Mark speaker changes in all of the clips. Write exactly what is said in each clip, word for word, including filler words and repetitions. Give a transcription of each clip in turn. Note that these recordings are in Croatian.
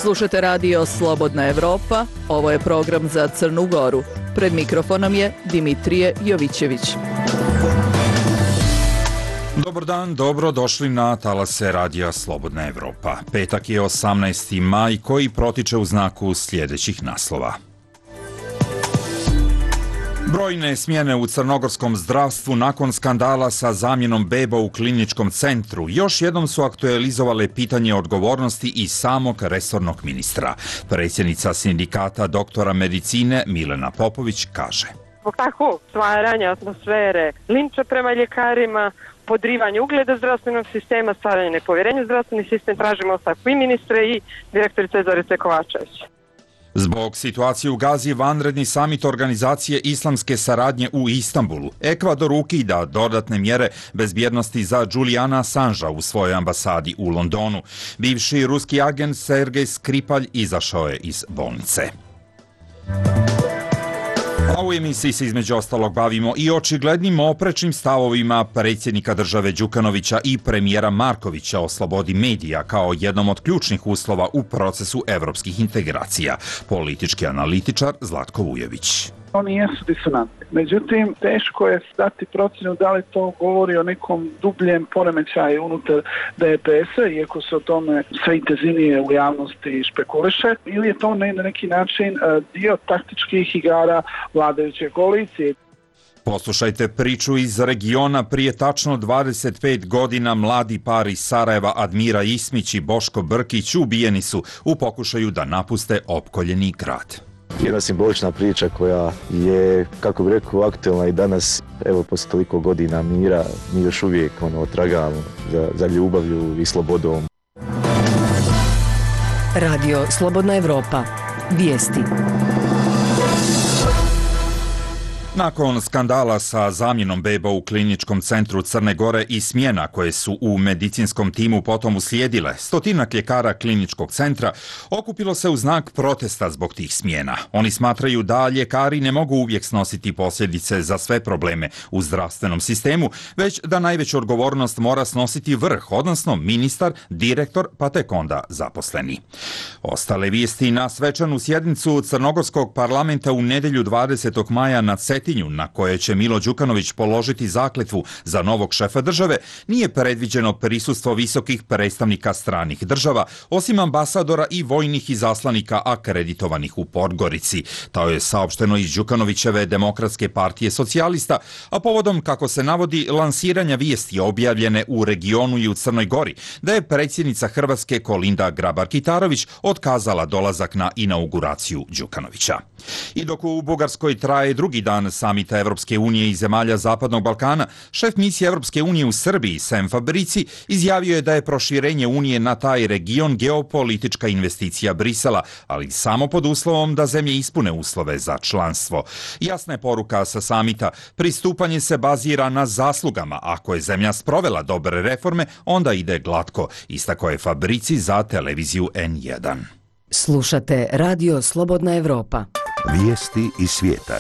Speaker 1: Slušate radio Slobodna Evropa, ovo je program za Crnu Goru. Pred mikrofonom je Dimitrije Jovićević.
Speaker 2: Dobar dan, dobro došli na talase radija Slobodna Evropa. Petak je osamnaesti maj koji protiče u znaku sljedećih naslova. Brojne smjene u crnogorskom zdravstvu nakon skandala sa zamjenom beba u kliničkom centru još jednom su aktualizovale pitanje odgovornosti i samog resornog ministra. Predsjednica sindikata doktora medicine Milena Popović kaže:
Speaker 3: Zbog takvog stvaranja atmosfere, linča prema ljekarima, podrivanje ugleda zdravstvenog sistema, stvaranje nepovjerenja u zdravstveni sistem, tražimo ostavku i ministre i direktorice Zorice Kovačević.
Speaker 2: Zbog situacije u Gazi, vanredni samit organizacije islamske saradnje u Istanbulu, Ekvador ukida dodatne mjere bezbjednosti za Julijana Assangea u svojoj ambasadi u Londonu. Bivši ruski agent Sergej Skripalj izašao je iz bolnice. A u emisiji se između ostalog bavimo i očiglednim oprečnim stavovima predsjednika države Đukanovića i premijera Markovića o slobodi medija kao jednom od ključnih uslova u procesu evropskih integracija. Politički analitičar Zlatko Vujović.
Speaker 4: Oni jesu disonantni. Međutim, teško je dati procjenu da li to govori o nekom dubljem poremećaju unutar D P S-a, iako se o tome sve intenzivnije u javnosti špekuliše, ili je to na neki način dio taktičkih igara vladajuće koalicije.
Speaker 2: Poslušajte priču iz regiona. Prije tačno dvadeset pet godina mladi par iz Sarajeva Admira Ismić i Boško Brkić ubijeni su u pokušaju da napuste opkoljeni grad.
Speaker 5: Jedna simbolična priča koja je, kako bih rekao, aktualna i danas. Evo, posle toliko godina mira, mi još uvijek ono, tragamo za, za ljubavlju i slobodom.
Speaker 1: Radio Slobodna Evropa. Vijesti.
Speaker 2: Nakon skandala sa zamjenom beba u kliničkom centru Crne Gore i smjena koje su u medicinskom timu potom uslijedile, stotinak ljekara kliničkog centra okupilo se u znak protesta zbog tih smjena. Oni smatraju da ljekari ne mogu uvijek snositi posljedice za sve probleme u zdravstvenom sistemu, već da najveću odgovornost mora snositi vrh, odnosno ministar, direktor, pa tek onda zaposleni. Ostale vijesti na svečanu sjednicu Crnogorskog parlamenta u nedjelju dvadesetog maja na Cetinju, na koje će Milo Đukanović položiti zakletvu za novog šefa države, nije predviđeno prisustvo visokih predstavnika stranih država, osim ambasadora i vojnih izaslanika akreditovanih u Podgorici. To je saopšteno iz Đukanovićeve Demokratske partije socijalista, a povodom, kako se navodi, lansiranja vijesti objavljene u regionu i u Crnoj Gori, da je predsjednica Hrvatske Kolinda Grabar-Kitarović otkazala dolazak na inauguraciju Đukanovića. I dok u Bugarskoj traje drugi dan samita Evropske unije i zemalja Zapadnog Balkana, šef misije Evropske unije u Srbiji, Sem Fabrici, izjavio je da je proširenje unije na taj region geopolitička investicija Brisela, ali samo pod uslovom da zemlje ispune uslove za članstvo. Jasna je poruka sa samita: pristupanje se bazira na zaslugama. Ako je zemlja sprovela dobre reforme, onda ide glatko, istakao je Fabrici za televiziju N jedan.
Speaker 1: Slušate radio Slobodna Evropa.
Speaker 6: Vijesti iz svijeta.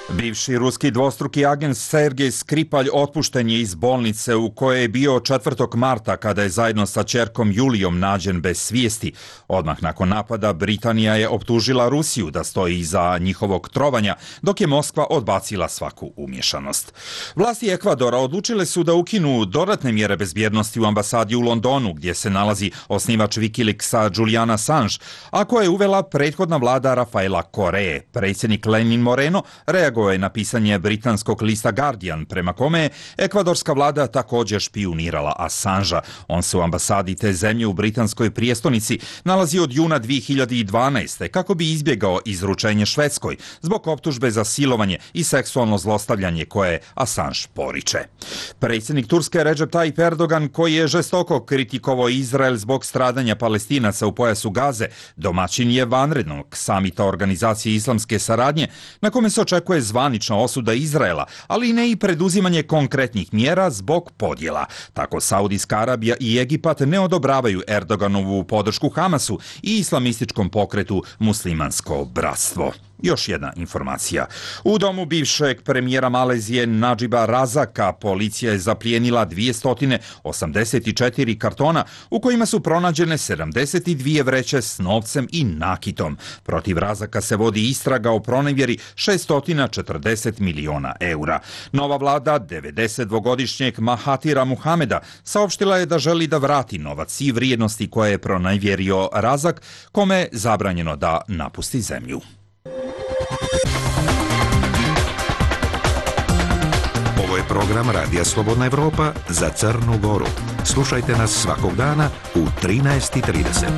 Speaker 2: Bivši ruski dvostruki agent Sergej Skripalj otpušten je iz bolnice u kojoj je bio četvrtog marta kada je zajedno sa ćerkom Julijom nađen bez svijesti. Odmah nakon napada Britanija je optužila Rusiju da stoji iza njihovog trovanja, dok je Moskva odbacila svaku umješanost. Vlasti Ekvadora odlučile su da ukinu dodatne mjere bezbjednosti u ambasadi u Londonu, gdje se nalazi osnivač Wikileaksa Julian Assange, a koje je uvela prethodna vlada Rafaela Koreje. Predsjednik Lenin Moreno reagovao je na pisanje britanskog lista Guardian, prema kome je ekvadorska vlada također špijunirala Assangea. On se u ambasadi te zemlje u britanskoj prijestolnici nalazi od juna dvije hiljade dvanaeste. kako bi izbjegao izručenje Švedskoj zbog optužbe za silovanje i seksualno zlostavljanje koje Assange poriče. Predsjednik Turske Recep Tayyip Erdogan, koji je žestoko kritikovao Izrael zbog stradanja Palestinaca u pojasu Gaze, domaćin je vanrednog samita organizacije islamske saradnje, na kome se očekuje zvanična osuda Izraela, ali ne i preduzimanje konkretnih mjera zbog podjela. Tako Saudijska Arabija i Egipat ne odobravaju Erdoganovu podršku Hamasu i islamističkom pokretu Muslimansko bratstvo. Još jedna informacija. U domu bivšeg premijera Malezije Nadžiba Razaka policija je zaplijenila dvjesto osamdeset četiri kartona u kojima su pronađene sedamdeset dvije vreće s novcem i nakitom. Protiv Razaka se vodi istraga o pronevjeri šesto četrdeset miliona eura. Nova vlada devedesetdvogodišnjeg Mahatira Muhameda saopštila je da želi da vrati novac i vrijednosti koje je pronevjerio Razak, kome je zabranjeno da napusti zemlju.
Speaker 6: Ovo je program Radija Slobodna Evropa za Crnu Goru. Slušajte nas svakog dana u trinaest i trideset.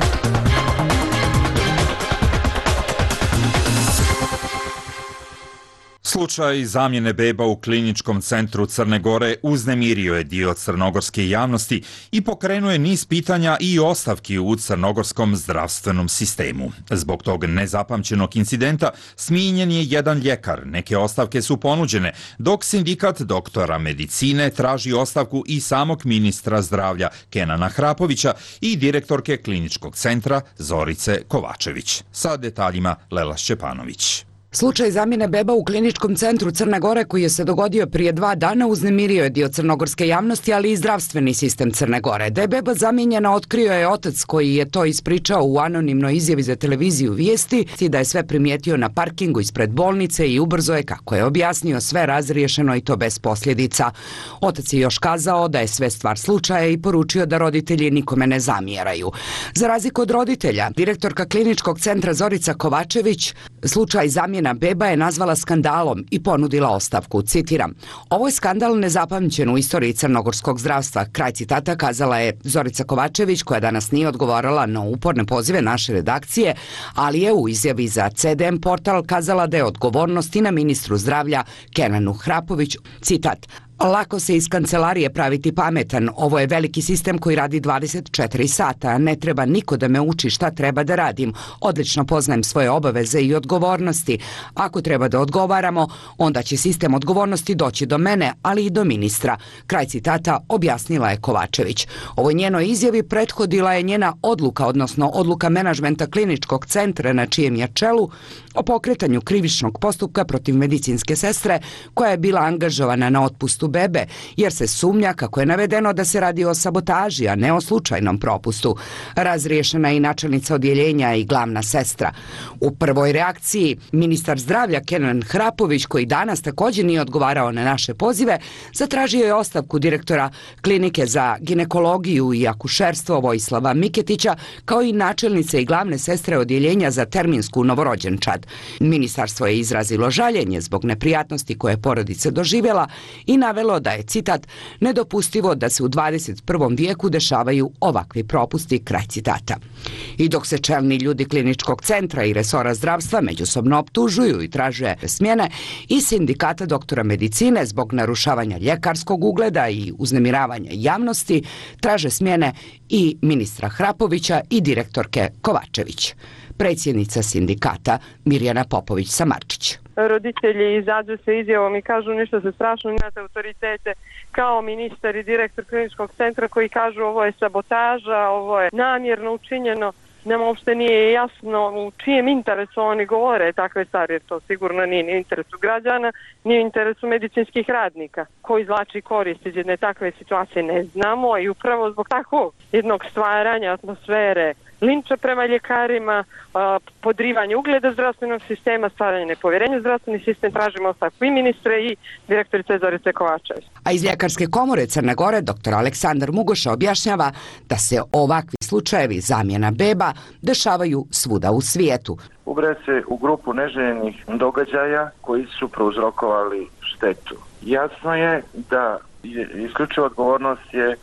Speaker 2: Slučaj zamjene beba u kliničkom centru Crne Gore uznemirio je dio crnogorske javnosti i pokrenuo je niz pitanja i ostavki u crnogorskom zdravstvenom sistemu. Zbog tog nezapamćenog incidenta smijenjen je jedan ljekar, neke ostavke su ponuđene, dok sindikat doktora medicine traži ostavku i samog ministra zdravlja Kenana Hrapovića i direktorke kliničkog centra Zorice Kovačević. Sa detaljima Lela Šćepanović.
Speaker 7: Slučaj zamjene beba u kliničkom centru Crne Gore koji je se dogodio prije dva dana uznemirio je dio crnogorske javnosti, ali i zdravstveni sistem Crne Gore. Da je beba zamijenjena otkrio je otac koji je to ispričao u anonimnoj izjavi za televiziju Vijesti i da je sve primijetio na parkingu ispred bolnice i ubrzo je, kako je objasnio, sve razriješeno i to bez posljedica. Otac je još kazao da je sve stvar slučaja i poručio da roditelji nikome ne zamjeraju. Za razliku od roditelja, direktorka kliničkog centra Zorica Kovačević slučaj zamjena beba je nazvala skandalom i ponudila ostavku. Citiram: "Ovo je skandal nezapamćen u istoriji crnogorskog zdravstva." Kraj citata kazala je Zorica Kovačević, koja danas nije odgovarala na uporne pozive naše redakcije, ali je u izjavi za C D M portal kazala da je odgovornost i na ministru zdravlja Kenanu Hrapoviću. Citat: "Lako se iz kancelarije praviti pametan. Ovo je veliki sistem koji radi dvadeset četiri sata. Ne treba niko da me uči šta treba da radim. Odlično poznajem svoje obaveze i odgovornosti. Ako treba da odgovaramo, onda će sistem odgovornosti doći do mene, ali i do ministra." Kraj citata objasnila je Kovačević. Ovoj njenoj izjavi prethodila je njena odluka, odnosno odluka menadžmenta kliničkog centra na čijem je čelu, o pokretanju krivičnog postupka protiv medicinske sestre koja je bila angažovana na otpustu bebe, jer se sumnja, kako je navedeno, da se radi o sabotaži, a ne o slučajnom propustu. Razriješena je i načelnica odjeljenja i glavna sestra. U prvoj reakciji ministar zdravlja Kenan Hrapović, koji danas također nije odgovarao na naše pozive, zatražio je ostavku direktora klinike za ginekologiju i akušerstvo Vojislava Miketića, kao i načelnice i glavne sestre odjeljenja za terminsku novorođenčad. Ministarstvo je izrazilo žaljenje zbog neprijatnosti koje je porodica doživjela i navelo da je, citat, "nedopustivo da se u dvadeset prvom vijeku dešavaju ovakvi propusti", kraj citata. I dok se čelni ljudi kliničkog centra i resora zdravstva međusobno optužuju i traže smjene, i sindikata doktora medicine zbog narušavanja ljekarskog ugleda i uznemiravanja javnosti traže smjene i ministra Hrapovića i direktorke Kovačević. Predsjednica sindikata Mirjana Popović-Samarčić:
Speaker 3: "Roditelji izađu se izjavom i kažu nešto se strašno, imate autoritete kao ministar i direktor kliničkog centra koji kažu ovo je sabotaža, ovo je namjerno učinjeno. Nama uopšte nije jasno u čijem interesu oni govore takve stvari, jer to sigurno nije ni u interesu građana, ni u interesu medicinskih radnika. Ko izvlači korist iz jedne takve situacije ne znamo, i upravo zbog takvog jednog stvaranja atmosfere linča prema ljekarima, podrivanje ugleda zdravstvenog sistema, stvaranje nepovjerenja u zdravstveni sistem, tražimo ostavku i ministre i direktorice Zorice Kovačević.
Speaker 7: A iz Ljekarske komore Crne Gore doktor Aleksandar Mugoša objašnjava da se ovakvi slučajevi zamjena beba dešavaju svuda u svijetu.
Speaker 8: Ubraja se u grupu neželjenih događaja koji su prouzrokovali štetu. Jasno je da je isključiva odgovornost je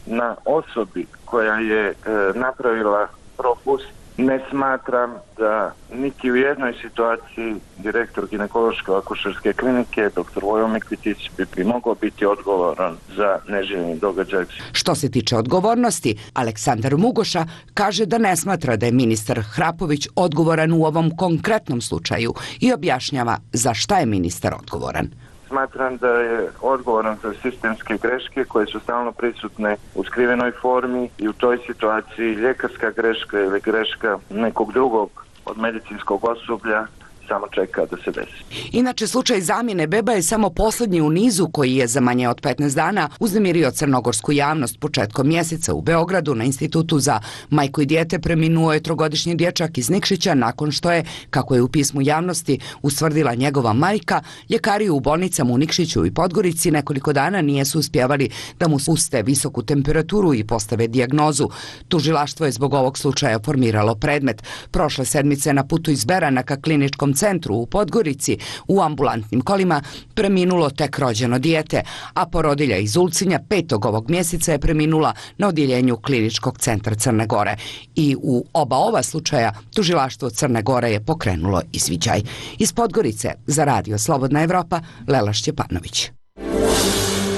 Speaker 8: na osobi koja je e, napravila propust. Ne smatram da niti u jednoj situaciji direktor ginekološko-akušerske klinike doktor Vojo Mikitić bi, bi mogao biti odgovoran za neželjeni događaj.
Speaker 7: Što se tiče odgovornosti, Aleksandar Mugoša kaže da ne smatra da je ministar Hrapović odgovoran u ovom konkretnom slučaju i objašnjava za šta je ministar odgovoran.
Speaker 8: Smatram da je odgovoran za sistemske greške koje su stalno prisutne u skrivenoj formi i u toj situaciji ljekarska greška ili greška nekog drugog od medicinskog osoblja samo čeka da se desi.
Speaker 7: Inače, slučaj zamjene beba je samo posljednji u nizu koji je za manje od petnaest dana uznemirio crnogorsku javnost. Početkom mjeseca u Beogradu na Institutu za majku i dijete preminuo je trogodišnji dječak iz Nikšića nakon što je, kako je u pismu javnosti ustvrdila njegova majka, ljekari u bolnicama u Nikšiću i Podgorici nekoliko dana nijesu uspjevali da mu spuste visoku temperaturu i postave dijagnozu. Tužilaštvo je zbog ovog slučaja formiralo predmet. Prošle sedmice na putu iz Berana ka kliničkom centru u Podgorici u ambulantnim kolima preminulo tek rođeno dijete, a porodilja iz Ulcinja petog ovog mjeseca je preminula na odjeljenju kliničkog centra Crne Gore. I u oba ova slučaja tužilaštvo Crne Gore je pokrenulo izviđaj. Iz Podgorice za Radio Slobodna Evropa, Lela Šćepanović.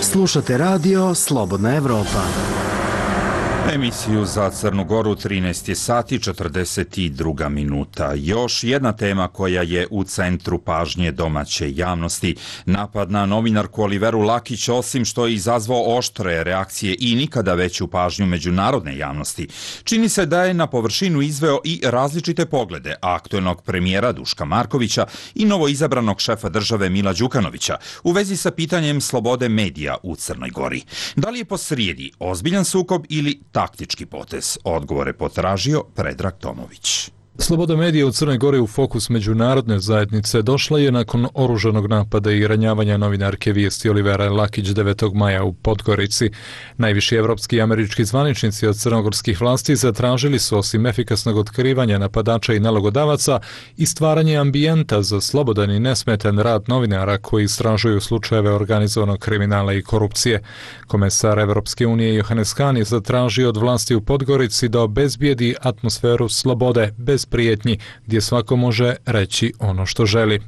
Speaker 9: Slušate radio Slobodna Evropa.
Speaker 2: Emisiju za Crnu Goru trinaest je sati četrdeset dva minuta. Još jedna tema koja je u centru pažnje domaće javnosti. Napad na novinarku Oliveru Lakić, osim što je izazvao oštre reakcije i nikada veću pažnju međunarodne javnosti, čini se da je na površinu izveo i različite poglede aktuelnog premijera Duška Markovića i novoizabranog šefa države Mila Đukanovića u vezi sa pitanjem slobode medija u Crnoj Gori. Da li je posrijedi ozbiljan sukob ili taktički potez? Odgovore potražio Predrag Tomović.
Speaker 10: Sloboda medija u Crnoj Gori u fokus međunarodne zajednice došla je nakon oružanog napada i ranjavanja novinarke Vijesti Olivera Lakić devetog maja u Podgorici. Najviši evropski i američki zvaničnici od crnogorskih vlasti zatražili su, osim efikasnog otkrivanja napadača i nalogodavaca, i stvaranje ambijenta za slobodan i nesmetan rad novinara koji istražuju slučajeve organizovanog kriminala i korupcije. Komesar Evropske unije Johannes Hahn je zatražio od vlasti u Podgorici da obezbijedi atmosferu slobode bez prijetnji, gdje svako može reći ono što želi.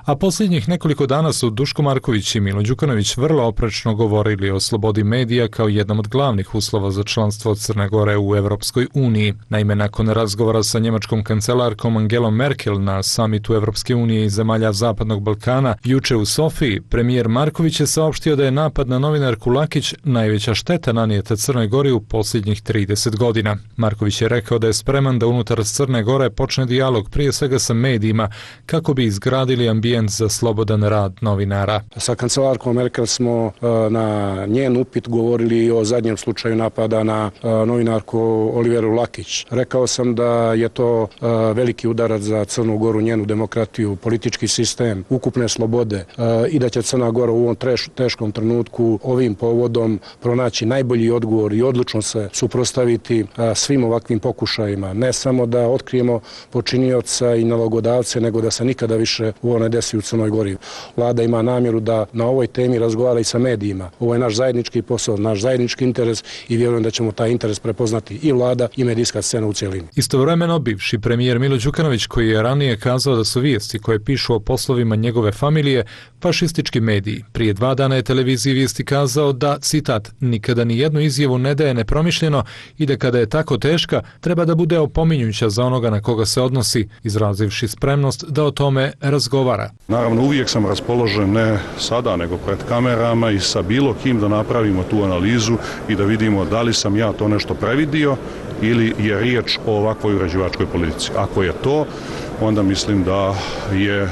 Speaker 10: A posljednjih nekoliko dana su Duško Marković i Milo Đukanović vrlo oprečno govorili o slobodi medija kao jednom od glavnih uslova za članstvo Crne Gore u Evropskoj uniji. Naime, nakon razgovora sa njemačkom kancelarkom Angelom Merkel na samitu Evropske unije i zemalja Zapadnog Balkana juče u Sofiji, premijer Marković je saopštio da je napad na novinarku Lakić najveća šteta nanijeta Crnoj Gori u posljednjih trideset godina. Marković je rekao da je spreman da unutar Crne Gore počne dijalog prije svega sa medijima kako bi izgradili ambijent za slobodan rad novinara.
Speaker 11: Sa kancelarkom Merkel smo na njen upit govorili o zadnjem slučaju napada na novinarku Oliveru Lakić. Rekao sam da je to veliki udarac za Crnu Goru, njenu demokratiju, politički sistem, ukupne slobode i da će Crna Gora u ovom teškom trenutku ovim povodom pronaći najbolji odgovor i odlučno se suprotstaviti svim ovakvim pokušajima. Ne samo da otkrijemo počinioca i nalogodavce, nego da se nikada više u ovo ne desi u Crnoj Gori. Vlada ima namjeru da na ovoj temi razgovara i sa medijima. Ovo je naš zajednički posao, naš zajednički interes i vjerujem da ćemo taj interes prepoznati i vlada i medijska scena u cijelini.
Speaker 10: Istovremeno, bivši premijer Milo Đukanović, koji je ranije kazao da su vijesti koje pišu o poslovima njegove familije fašistički mediji, prije dva dana je televiziji Vijesti kazao da, citat, nikada ni jednu izjavu ne daje nepromišljeno i da kada je tako teška, treba da bude opominjuća za onoga na koga se odnosi, izrazivši spremnost da o tome razgovara.
Speaker 12: Naravno, uvijek sam raspoložen ne sada, nego pred kamerama i sa bilo kim da napravimo tu analizu i da vidimo da li sam ja to nešto previdio ili je riječ o ovakvoj uređivačkoj politici. Ako je to, onda mislim da je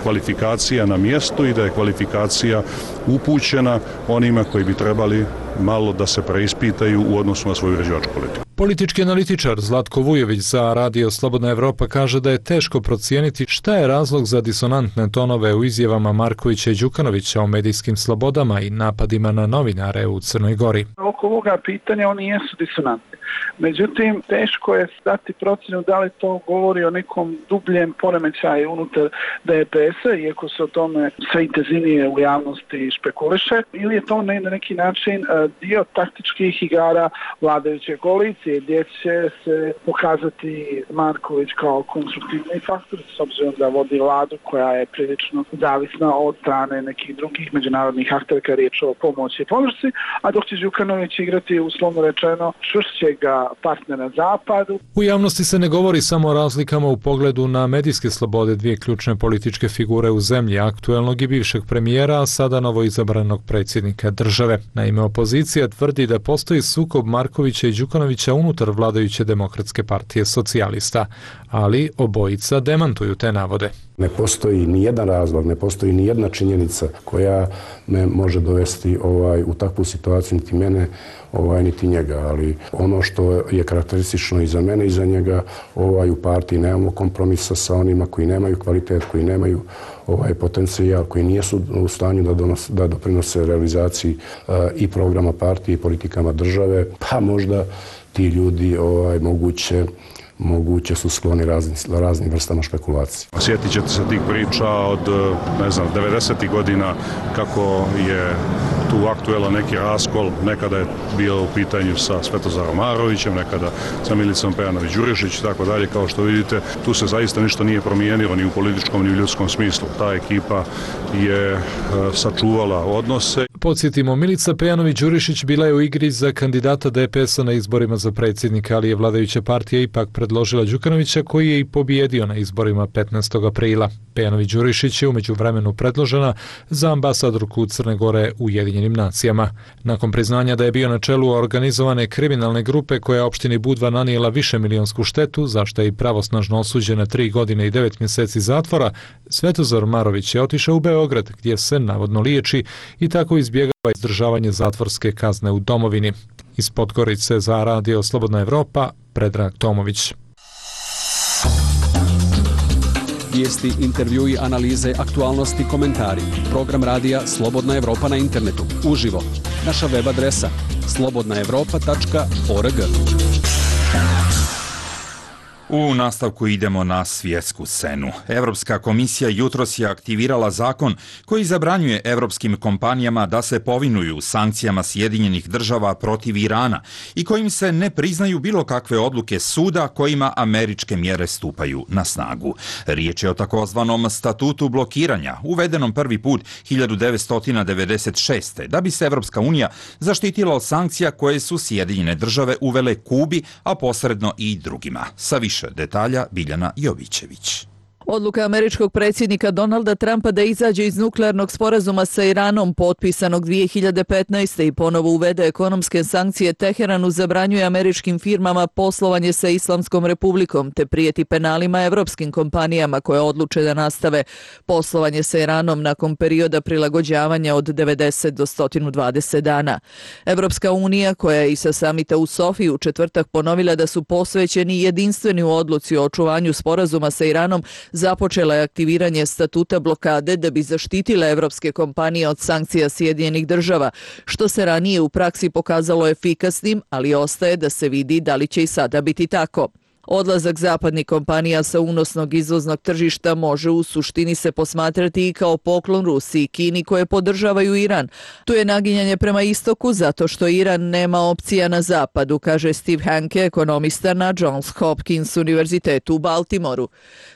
Speaker 12: kvalifikacija na mjestu i da je kvalifikacija upućena onima koji bi trebali malo da se preispitaju u odnosu na svoju uređivačku politiku.
Speaker 10: Politički analitičar Zlatko Vujović za Radio Slobodna Evropa kaže da je teško procijeniti šta je razlog za disonantne tonove u izjavama Markovića i Đukanovića o medijskim slobodama i napadima na novinare u Crnoj Gori.
Speaker 4: Oko ovoga pitanja oni jesu disonantni. Međutim, teško je dati procjenu da li to govori o nekom dubljem poremećaju unutar D P S-a, iako se o tome sve intenzivnije u javnosti špekuliše, ili je to na neki način dio taktičkih igara vladajuće koalicije, gdje će se pokazati Marković kao konstruktivni faktor, s obzirom da vodi vladu koja je prilično zavisna od strane nekih drugih međunarodnih aktera kada je riječ o pomoći i podršci, a dok će Đukanović igrati, uslovno rečeno, čvršćega partnera Zapadu.
Speaker 10: U javnosti se ne govori samo o razlikama u pogledu na medijske slobode dvije ključne političke figure u zemlji, aktuelnog i bivšeg premijera, a sada novoizabranog predsjednika države. Naime, opozicija tvrdi da postoji sukob Markovića i Đukanovića unutar vladajuće Demokratske partije socijalista, ali obojica demantuju te navode.
Speaker 11: Ne postoji ni jedan razlog, ne postoji ni jedna činjenica koja me može dovesti ovaj, u takvu situaciju, niti mene, ovaj, niti njega. Ali ono što je karakteristično i za mene i za njega, ovaj, u partiji nemamo kompromisa sa onima koji nemaju kvalitet, koji nemaju ovaj potencijal, koji nisu u stanju da, donos, da doprinose realizaciji uh, i programa partije i politikama države, pa možda ti ljudi ovaj, moguće moguće su skloni raznim, raznim vrstama špekulacije.
Speaker 12: Sjetit ćete se tih priča od, ne znam, devedesetih godina kako je tu aktuelan neki raskol, nekada je bio u pitanju sa Svetozarom Marovićem, nekada sa Milicom Pejanović-Đurišić i tako dalje. Kao što vidite, tu se zaista ništa nije promijenilo ni u političkom ni u ljudskom smislu. Ta ekipa je sačuvala odnose.
Speaker 10: Podsjetimo, Milica Pejanović-Đurišić bila je u igri za kandidata D P S-a na izborima za predsjednika, ali je vladajuća partija ipak predložila Đukanovića, koji je i pobijedio na izborima petnaestog aprila. Pejanović-Đurišić je u međuvremenu predložena za ambasadorku Crne Gore u Ujedinjenim nacijama. Nakon priznanja da je bio na čelu organizovane kriminalne grupe koja je opštini Budva nanijela višemilionsku štetu, za što je i pravosnažno osuđen na tri godine i devet mjeseci zatvora, Svetozar Marović je otišao u Beograd, gdje se navodno liječi i tako izbjegava izdržavanje zatvorske kazne u domovini. Iz Podgorice za Radio Slobodna Evropa, Predrag Tomović.
Speaker 13: Vijesti, intervjui, analize, aktualnosti, komentari. Program radija Slobodna Evropa na internetu. Uživo. Naša web adresa slobodna evropa tačka org.
Speaker 2: U nastavku idemo na svjetsku scenu. Europska komisija jutros je aktivirala zakon koji zabranjuje europskim kompanijama da se povinuju sankcijama Sjedinjenih država protiv Irana i kojim se ne priznaju bilo kakve odluke suda kojima američke mjere stupaju na snagu. Riječ je o takozvanom statutu blokiranja, uvedenom prvi put hiljadu devetsto devedeset šeste. da bi se Europska unija zaštitila od sankcija koje su Sjedinjene države uvele Kubi, a posredno i drugima. Sa više detalja Biljana Jovićević.
Speaker 1: Odluka američkog predsjednika Donalda Trumpa da izađe iz nuklearnog sporazuma sa Iranom, potpisanog dvije hiljade petnaeste. i ponovo uvede ekonomske sankcije Teheranu, zabranjuje američkim firmama poslovanje sa Islamskom republikom te prijeti penalima evropskim kompanijama koje odluče da nastave poslovanje sa Iranom nakon perioda prilagođavanja od devedeset do sto dvadeset dana. Evropska unija, koja je i sa samita u Sofiji u četvrtak ponovila da su posvećeni jedinstveni u odluci o očuvanju sporazuma sa Iranom, započela je aktiviranje statuta blokade da bi zaštitila evropske kompanije od sankcija Sjedinjenih država, što se ranije u praksi pokazalo efikasnim, ali ostaje da se vidi da li će i sada biti tako. Odlazak zapadnih kompanija sa unosnog izvoznog tržišta može u suštini se posmatrati i kao poklon Rusiji i Kini koje podržavaju Iran. Tu je naginjanje prema istoku zato što Iran nema opcija na zapadu, kaže Steve Hanke, ekonomista na Johns Hopkins univerzitetu u Baltimoru.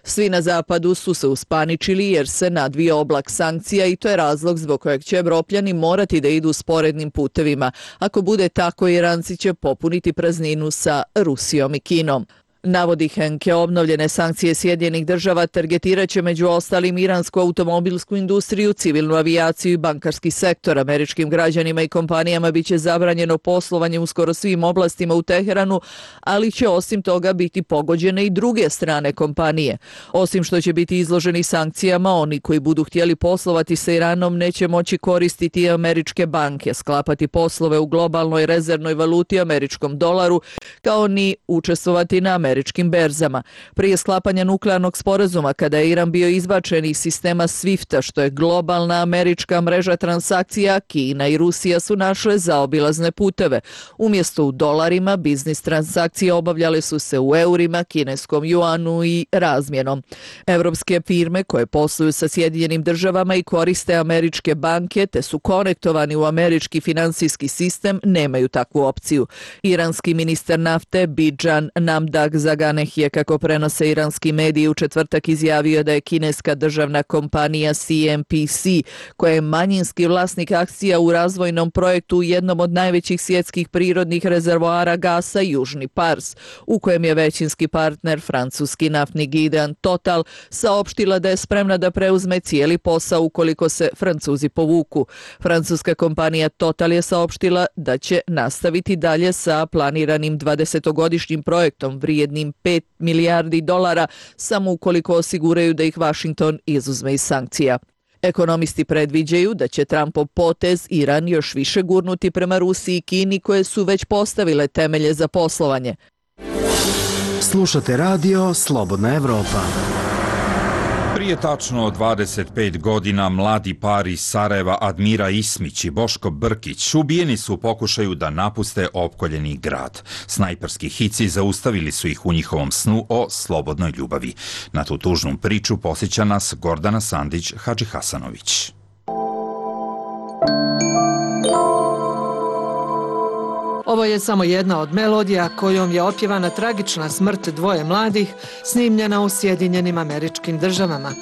Speaker 1: Svi na zapadu su se uspaničili jer se nadvio oblak sankcija i to je razlog zbog kojeg će Evropljani morati da idu sporednim putevima. Ako bude tako, Iranci će popuniti prazninu sa Rusijom i Kinom. Navodi Henke, obnovljene sankcije Sjedinjenih država targetirat će među ostalim iransku automobilsku industriju, civilnu avijaciju i bankarski sektor. Američkim građanima i kompanijama biće zabranjeno poslovanje u skoro svim oblastima u Teheranu, ali će osim toga biti pogođene i druge strane kompanije. Osim što će biti izloženi sankcijama, oni koji budu htjeli poslovati sa Iranom neće moći koristiti američke banke, sklapati poslove u globalnoj rezervnoj valuti američkom dolaru, kao ni učestvovati na američkim američkim berzama. Prije sklapanja nuklearnog sporazuma, kada je Iran bio izbačen iz sistema SWIFT-a, što je globalna američka mreža transakcija, Kina i Rusija su našle zaobilazne puteve. Umjesto u dolarima, biznis transakcije obavljale su se u eurima, kineskom juanu i razmjenom. Evropske firme koje posluju sa Sjedinjenim državama i koriste američke banke te su konektovani u američki finansijski sistem nemaju takvu opciju. Iranski ministar nafte Bijan Namdak Zaganeh je, kako prenose iranski mediji, u četvrtak izjavio da je kineska državna kompanija C M P C, koja je manjinski vlasnik akcija u razvojnom projektu u jednom od najvećih svjetskih prirodnih rezervoara gasa Južni Pars, u kojem je većinski partner francuski naftni gigant Total, saopštila da je spremna da preuzme cijeli posao ukoliko se Francuzi povuku. Francuska kompanija Total je saopštila da će nastaviti dalje sa planiranim dvadesetogodišnjim projektom vrijednim vrijednim pet milijardi dolara samo ukoliko osiguraju da ih Washington izuzme iz sankcija. Ekonomisti predviđaju da će Trumpov potez Iran još više gurnuti prema Rusiji i Kini koje su već postavile temelje za poslovanje.
Speaker 9: Slušate radio Slobodna Evropa.
Speaker 2: Prije tačno dvadeset pet godina mladi par iz Sarajeva Admira Ismić i Boško Brkić ubijeni su u pokušaju da napuste opkoljeni grad. Snajperski hici zaustavili su ih u njihovom snu o slobodnoj ljubavi. Na tu tužnu priču posjeća nas Gordana Sandić-Hadžihasanović.
Speaker 14: Ovo je samo jedna od melodija kojom je opjevana tragična smrt dvoje mladih, snimljena u Sjedinjenim Američkim Državama.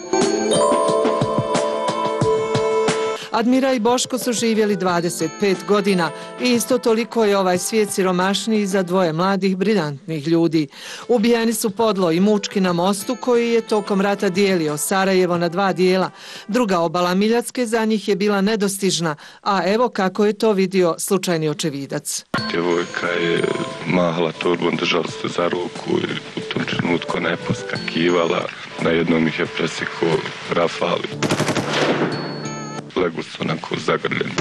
Speaker 14: Admira i Boško su živjeli dvadeset pet godina i isto toliko je ovaj svijet siromašniji za dvoje mladih, briljantnih ljudi. Ubijeni su podlo i mučki na mostu koji je tokom rata dijelio Sarajevo na dva dijela. Druga obala Miljacke za njih je bila nedostižna, a evo kako je to vidio slučajni očevidac.
Speaker 15: Djevojka je mahala torbom, držala se za ruku i u tom trenutku ona je poskakivala. Na jednom ih je presekao rafal. Legu su onako zagrljeni.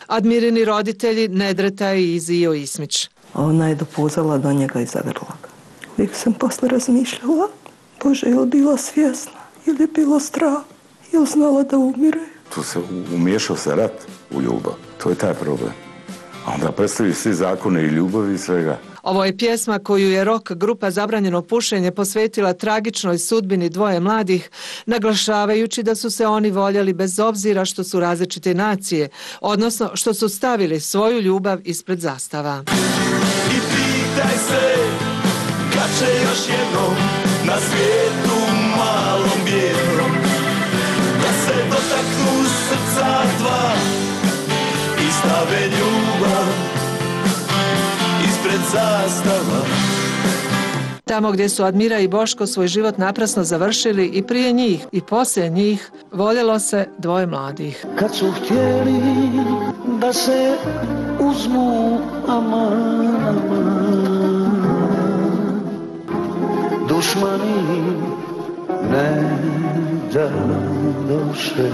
Speaker 14: Admirini roditelji Nedreta i Izio Ismić.
Speaker 16: Ona je dopuzala do njega i zagrla ga. Uvijek sam posle razmišljala, Bože, je li bila svjesna, ili je bilo strah, je li znala da umire.
Speaker 17: Tu se umiješao se rat u ljubav, to je taj problem. A onda predstavi svi zakone i ljubavi i svega.
Speaker 14: Ovo je pjesma koju je rock grupa Zabranjeno pušenje posvetila tragičnoj sudbini dvoje mladih, naglašavajući da su se oni voljeli bez obzira što su različite nacije, odnosno što su stavili svoju ljubav ispred zastava.
Speaker 18: I pitaj se kad će još jednom na svijetu malom bijednom da se dotaknu srca dva i stave ljubav ispred zastava.
Speaker 14: Tamo gdje su Admira i Boško svoj život naprasno završili i prije njih i poslije njih voljelo se dvoje mladih.
Speaker 18: Kad su htjeli da se uzmu aman, aman, dušmani ne doše.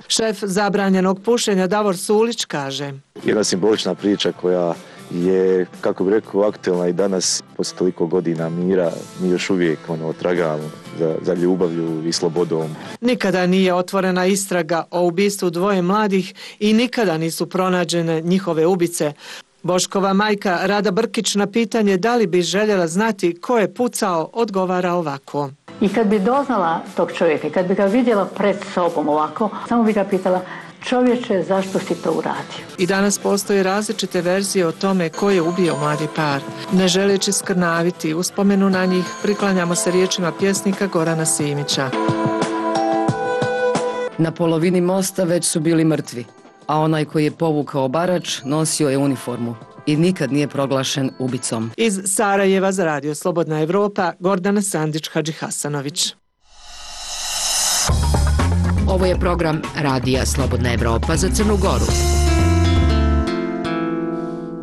Speaker 14: Šef Zabranjenog pušenja Davor Sulić kaže:
Speaker 5: Jedna simbolična priča koja je, kako bih rekao, aktualna i danas, poslije toliko godina mira, mi još uvijek ono, tragamo za, za ljubavlju i slobodom.
Speaker 14: Nikada nije otvorena istraga o ubistvu dvoje mladih i nikada nisu pronađene njihove ubice. Boškova majka Rada Brkić na pitanje da li bi željela znati ko je pucao, odgovara ovako.
Speaker 19: I kad bi doznala tog čovjeka, kad bi ga vidjela pred sobom ovako, samo bi ga pitala: čovječe, zašto si to uradio?
Speaker 14: I danas postoje različite verzije o tome ko je ubio mladi par. Ne želeći skrnaviti uspomenu na njih, priklanjamo se riječima pjesnika Gorana Simića.
Speaker 20: Na polovini mosta već su bili mrtvi, a onaj koji je povukao barač nosio je uniformu i nikad nije proglašen ubicom.
Speaker 14: Iz Sarajeva za Radio Slobodna Evropa, Gordana Sandić-Hadžihasanović.
Speaker 7: Ovo je program Radija Slobodna Evropa za Crnu Goru.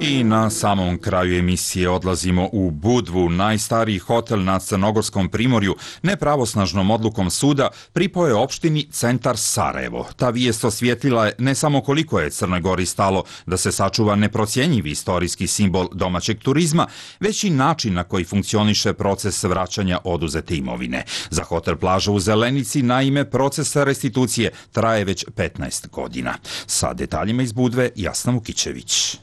Speaker 2: I na samom kraju emisije odlazimo u Budvu, najstariji hotel na Crnogorskom primorju, nepravosnažnom odlukom suda pripao je opštini Centar Sarajevo. Ta vijest osvijetlila je ne samo koliko je Crnoj Gori stalo da se sačuva neprocjenjivi istorijski simbol domaćeg turizma, već i način na koji funkcioniše proces vraćanja oduzete imovine. Za hotel Plaža u Zelenici, naime, proces restitucije traje već petnaest godina. Sa detaljima iz Budve, Jasna Vukićević.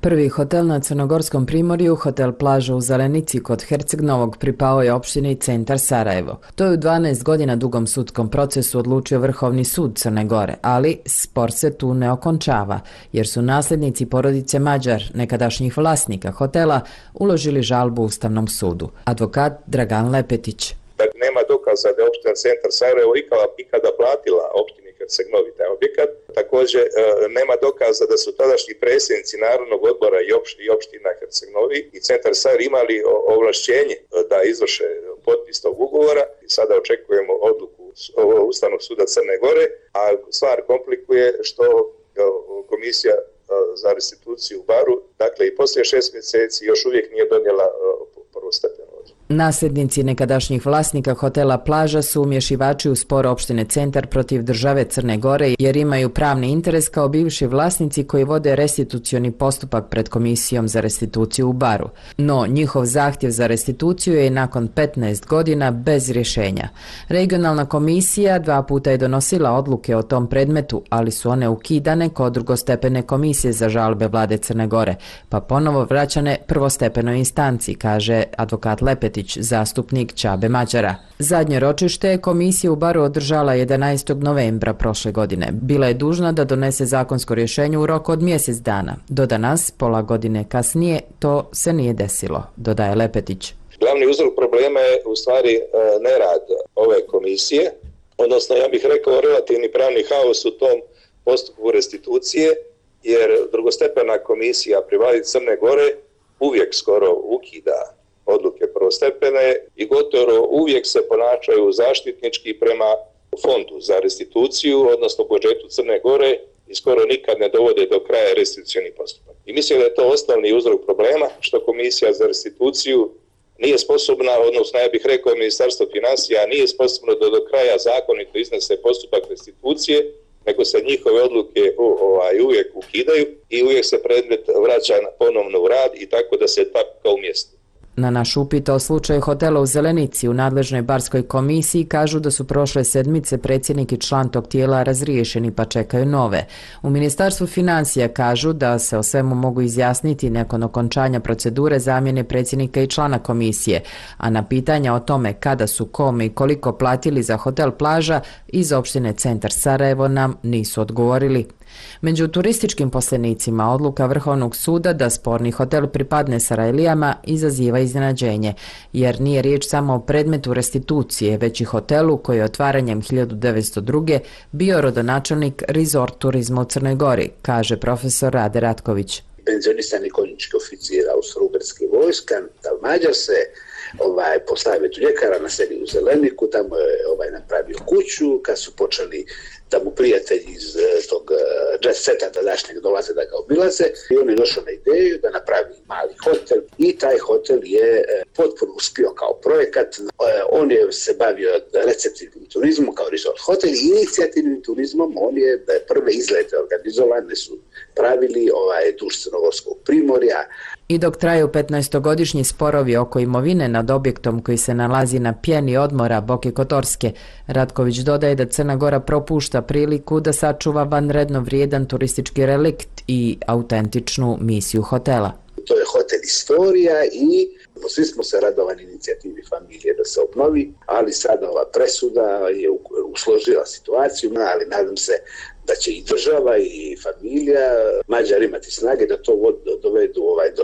Speaker 21: Prvi hotel na Crnogorskom primorju, hotel Plaža u Zelenici kod Herceg Novog, pripao je opštini Centar Sarajevo. To je u dvanaest godina dugom sudskom procesu odlučio Vrhovni sud Crne Gore, ali spor se tu ne okončava, jer su nasljednici porodice Mađar, nekadašnjih vlasnika hotela, uložili žalbu Ustavnom sudu. Advokat Dragan Lepetić.
Speaker 22: Dakle, nema dokaza da je opština Centar Sarajevo ikada platila opštini Herceg Novi taj objekat. Također, nema dokaza da su tadašnji predsjednici Narodnog odbora i opština Herceg Novi i Centar Sarajevo imali ovlašćenje da izvrše potpis tog ugovora. Sada očekujemo odluku Ustavnog suda Crne Gore, a stvar komplikuje što komisija za restituciju u Baru, dakle i poslije šest mjeseci još uvijek nije donijela prvostepenu odluku.
Speaker 21: Nasljednici nekadašnjih vlasnika hotela Plaža su umješivači u spor opštine Centar protiv države Crne Gore jer imaju pravni interes kao bivši vlasnici koji vode restitucioni postupak pred Komisijom za restituciju u Baru. No, njihov zahtjev za restituciju je nakon petnaest godina bez rješenja. Regionalna komisija dva puta je donosila odluke o tom predmetu, ali su one ukidane kod drugostepene komisije za žalbe vlade Crne Gore, pa ponovo vraćane prvostepenoj instanci, kaže advokat Lepetić, zastupnik Čabe Mađara. Zadnje ročište je komisija u Baru održala jedanaestog novembra prošle godine. Bila je dužna da donese zakonsko rješenje u roku od mjesec dana. Do danas, pola godine kasnije, to se nije desilo, dodaje Lepetić.
Speaker 22: Glavni uzrok problema je u stvari nerad ove komisije, odnosno ja bih rekao relativni pravni haos u tom postupku restitucije, jer drugostepena komisija pri vladi Crne Gore uvijek skoro ukida odluke prvostepene i gotovo uvijek se ponašaju zaštitnički prema fondu za restituciju, odnosno budžetu Crne Gore i skoro nikad ne dovode do kraja restitucioni postupak. I mislim da je to osnovni uzrok problema što komisija za restituciju nije sposobna, odnosno ja bih rekao Ministarstvo financija nije sposobno da do kraja zakonito iznese postupak restitucije, nego se njihove odluke ovaj, uvijek ukidaju i uvijek se predmet vraća ponovno u rad i tako da se tapka u mjestu.
Speaker 21: Na naš upit o slučaju hotela u Zelenici u nadležnoj barskoj komisiji kažu da su prošle sedmice predsjednik i član tog tijela razriješeni pa čekaju nove. U Ministarstvu financija kažu da se o svemu mogu izjasniti nakon okončanja procedure zamjene predsjednika i člana komisije, a na pitanja o tome kada su kome i koliko platili za hotel Plaža iz opštine Centar Sarajevo nam nisu odgovorili. Među turističkim poslenicima odluka Vrhovnog suda da sporni hotel pripadne Sarajlijama izaziva iznenađenje, jer nije riječ samo o predmetu restitucije, već i hotelu koji je otvaranjem hiljadu devetsto druge bio rodonačelnik resort turizma u Crnoj Gori, kaže profesor Rade Ratković.
Speaker 3: Penzionisani konjički oficir austro-ugarske vojska, Mađar se ovaj, postavio tu ljekara na seli u Zeleniku, tamo je ovaj, napravio kuću, kad su počeli da mu prijatelji iz tog jet seta tadašnjeg dolaze da ga obilaze i on je došao na ideju da napravi mali hotel i taj hotel je potpuno uspio kao projekat. On je se bavio receptivnim turizmom kao resort hotel i inicijativnim turizmom. On je prve izlete organizovane su pravili ovaj, duž Crnogorskog primorja.
Speaker 21: I dok traju petnaestogodišnji sporovi oko imovine nad objektom koji se nalazi na pjeni odmora Boke Kotorske, Ratković dodaje da Crna Gora propušta priliku da sačuva vanredno vrijedan turistički relikt i autentičnu misiju hotela.
Speaker 3: To je hotel Istorija i svi smo se radovali inicijativi familije da se obnovi, ali sada ova presuda je usložila situaciju, ali nadam se da će i država i familija Mađar imati snage da to dovedu ovaj do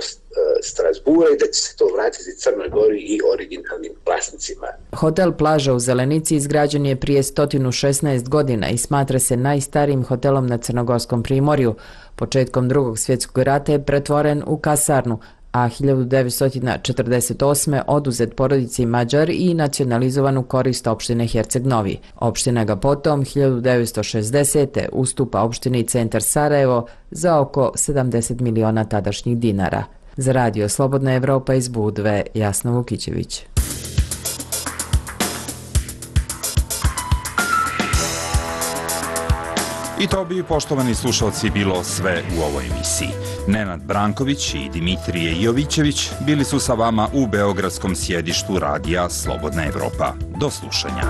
Speaker 3: Strasbura i da će se to vratiti Crnoj Gori i originalnim vlasnicima.
Speaker 21: Hotel Plaža u Zelenici izgrađen je prije sto šesnaest godina i smatra se najstarijim hotelom na Crnogorskom primorju. Početkom drugog svjetskog rata je pretvoren u kasarnu, a hiljadu devetsto četrdeset osme oduzet porodici Mađar i nacionalizovan u korist opštine Herceg Novi. Opština ga potom hiljadu devetsto šezdesete ustupa opštini Centar Sarajevo za oko sedamdeset miliona tadašnjih dinara. Za radio Slobodna Evropa iz Budve, Jasna Vukićević.
Speaker 2: I to bi, poštovani slušalci, bilo sve u ovoj emisiji. Nenad Branković i Dimitrije Jovićević bili su sa vama u beogradskom sjedištu radija Slobodna Evropa. Do slušanja.